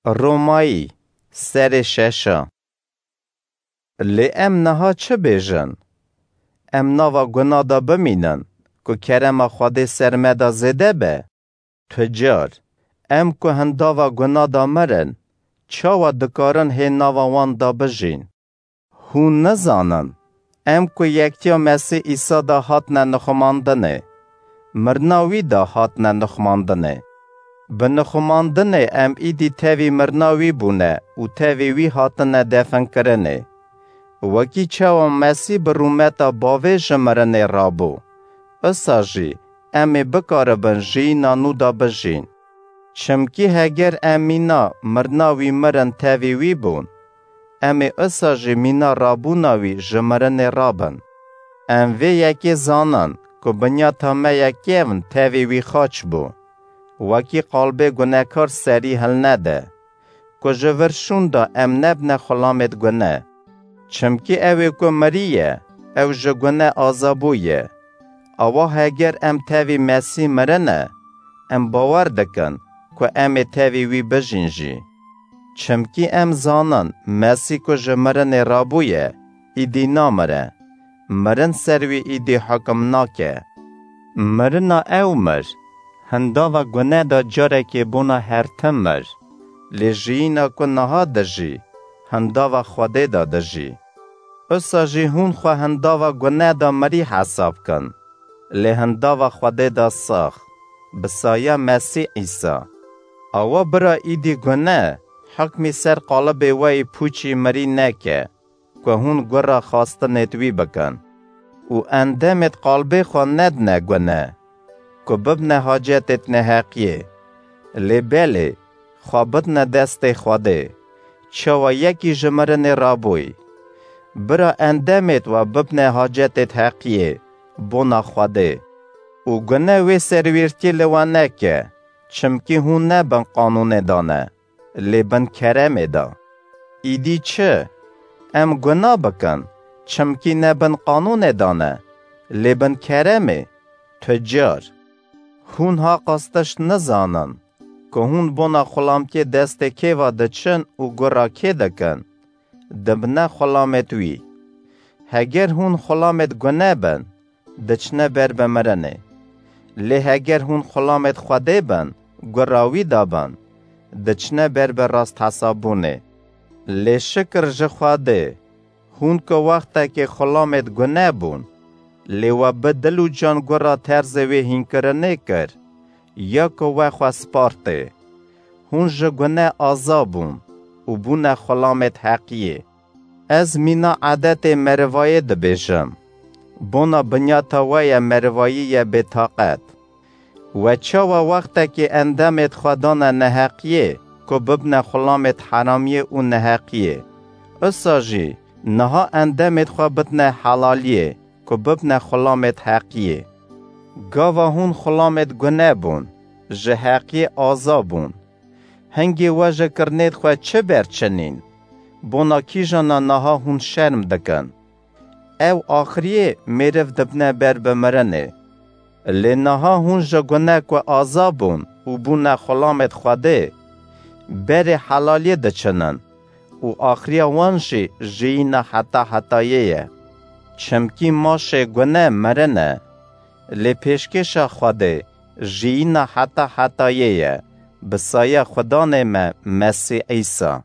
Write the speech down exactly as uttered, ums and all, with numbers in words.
Romayî, serê şeşa. Lê em niha çi bêjin? Em nava guna de bimînin, ku kerema Xwedê ser me de zêde be? Tu car, em ku hindava guna de mirin, çawa dikarin hê nava wan de bijîn? Hûn nizanin, em ku yektiya Mesîh Îsa de hatine nixumandinê, mirina wî de hatine nixumandinê. Bi nixumandinê em îdî tevî mirina wî bûne û tevî wî hatine definkirinê. Wekî çawa Mesîh bi rûmeta bavê ji mirinê rabû, isa jî em ê bikaribin jiyîna nû de bijîn. Çimkî heger em mîna mirina wî mirin tevî wî bûn, em ê isa jî mîna rabûna wî ji mirinê rabin. Em vê yekê zanin ku binyata me ye kevn tevî wî xaç bû. Wekî qalbê gunekar serî hilnede, ku ji vir şûn de em nebine xulamêt gune. Çimkî ew ê ku miriye, ew ji gune aza bûye. Awa heger em tevî Mesîh mirine, em bawer dikin ku em ê tevî wî bijîn jî. Çimkî em zanin Mesîh ku ji mirinê rabûye, îdî namire. Mirin ser wî îdî hukim nake. Mirina ew mir, hindava gune de carekê bona her tim mir, lê jiyîna ku niha dijî, hindava Xwedê de dijî. Usa jî hûn xwe hindava gune de mirî hesab kin, lê hindava Xwedê de sax, bi saya Mesîh Îsa. Awa bira îdî gune, hukmî ser qalibê we yî pûçî mirî neke, ku hûn gura xastinêt wî bikin. Û endemêt qalbê xwe nedine gune, ku bibne hacetêt neheqiyê. Lê belê, xwe bidine destê Xwedê, çawa yekî ji mirinê rabûy. Bira endemêt we bibne hacetêt heqiyê, bona Xwedê. Û gune wê serwîrtî li we neke, çimkî hûn ne bin qanûnê de ne, lê bin keremê de. Îdî çi? Em guna bikin, çimkî ne bin qanûnê de ne, lê bin keremê? Tu car. Hûn ha qas tişt nizanin, ku hûn bona xulamtiyê destê kê ve diçin û gura kê dikin, dibine xulamêt wî. Heger hûn xulamêt gune bin, diçine ber bi mirinê. Lê heger hûn xulamêt Xwedê bin, gura wî de bin, diçine ber bi rasthesabûnê. Lê şikir ji Xwedê, hûn ku wextekê xulamêt gune bûn, lê we bi dil û can gura terzê wê hînkirinê kir, ya ku we xwe spartê. Hûn ji gune aza bûn û bûne xulamêt heqiyê. Ez mîna edetê merivayê dibêjim. Bona binyata we ye merivayî ye bêtaqet. We çawa wextekê endemêt xwe dane neheqiyê, ku bibne xulamêt heramiyê û neheqiyê? Usa jî niha endemêt xwe bidne helaliyê, ku bibne xulamêt heqiyê. Gava hûn xulamêt gune bûn, ji heqiyê aza bûn. Hingê we ji kirinêt xwe çi berçinîn? Bona kîjana niha hûn şerm dikin? Ew axiriyê mêriv dibne ber bi mirinê. Lê niha hûn ji gune ku aza bûn û bûne xulamêt Xwedê, berê helaliyê diçinin û axiriya wan jî jiyîna heta hetayê ye. Çimkî maşê gune mirin e, lê pêşkêşa Xwedê jiyîna heta hetayê ye, bi saya Xudanê me Mesîh Îsa.